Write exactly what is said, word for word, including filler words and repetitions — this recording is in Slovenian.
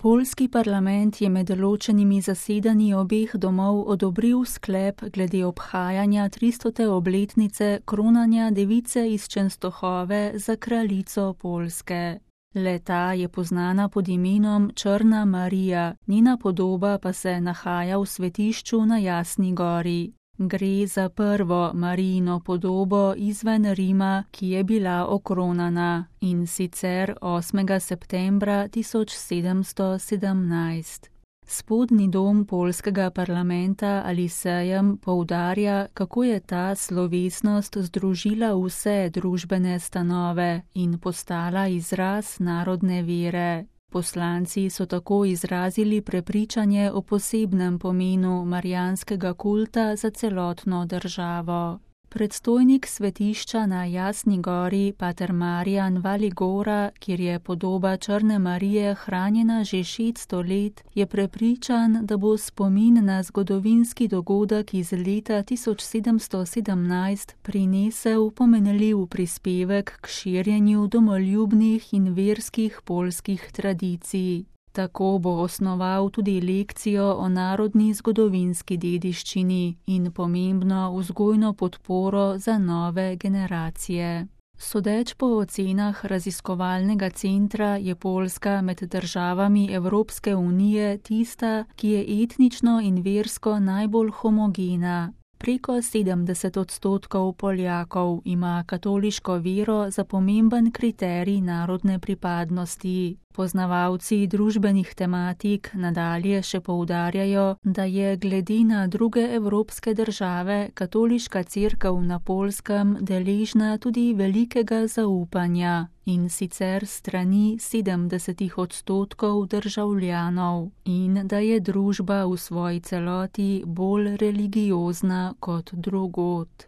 Poljski parlament je med ločenimi zasedanji obeh domov odobril sklep glede obhajanja tristote obletnice kronanja device iz Čenstohove za kraljico Poljske. Le-ta je poznana pod imenom Črna Marija, njena podoba pa se nahaja v svetišču na Jasni gori. Gre za prvo Marijino podobo izven Rima, ki je bila okronana, in sicer osmega septembra tisoč sedemsto sedemnajst. Spodnji dom poljskega parlamenta ali sejem poudarja, kako je ta slovesnost združila vse družbene stanove in postala izraz narodne vere. Poslanci so tako izrazili prepričanje o posebnem pomenu marijanskega kulta za celotno državo. Predstojnik svetišča na Jasni gori, pater Marijan Valigora, kjer je podoba Črne Marije hranjena že šeststo let, je prepričan, da bo spomin na zgodovinski dogodek iz leta tisoč sedemsto sedemnajst prinesel pomenljiv prispevek k širjenju domoljubnih in verskih poljskih tradicij. Tako bo osnoval tudi lekcijo o narodni zgodovinski dediščini in pomembno vzgojno podporo za nove generacije. Sodeč po ocenah raziskovalnega centra je Poljska med državami Evropske unije tista, ki je etnično in versko najbolj homogena. Preko sedemdeset odstotkov Poljakov ima katoliško vero za pomemben kriterij narodne pripadnosti. Poznavalci družbenih tematik nadalje še poudarjajo, da je glede na druge evropske države katoliška cerkev na Poljskem deležna tudi velikega zaupanja, in sicer strani sedemdesetih odstotkov državljanov, in da je družba v svoji celoti bolj religiozna kot drugod.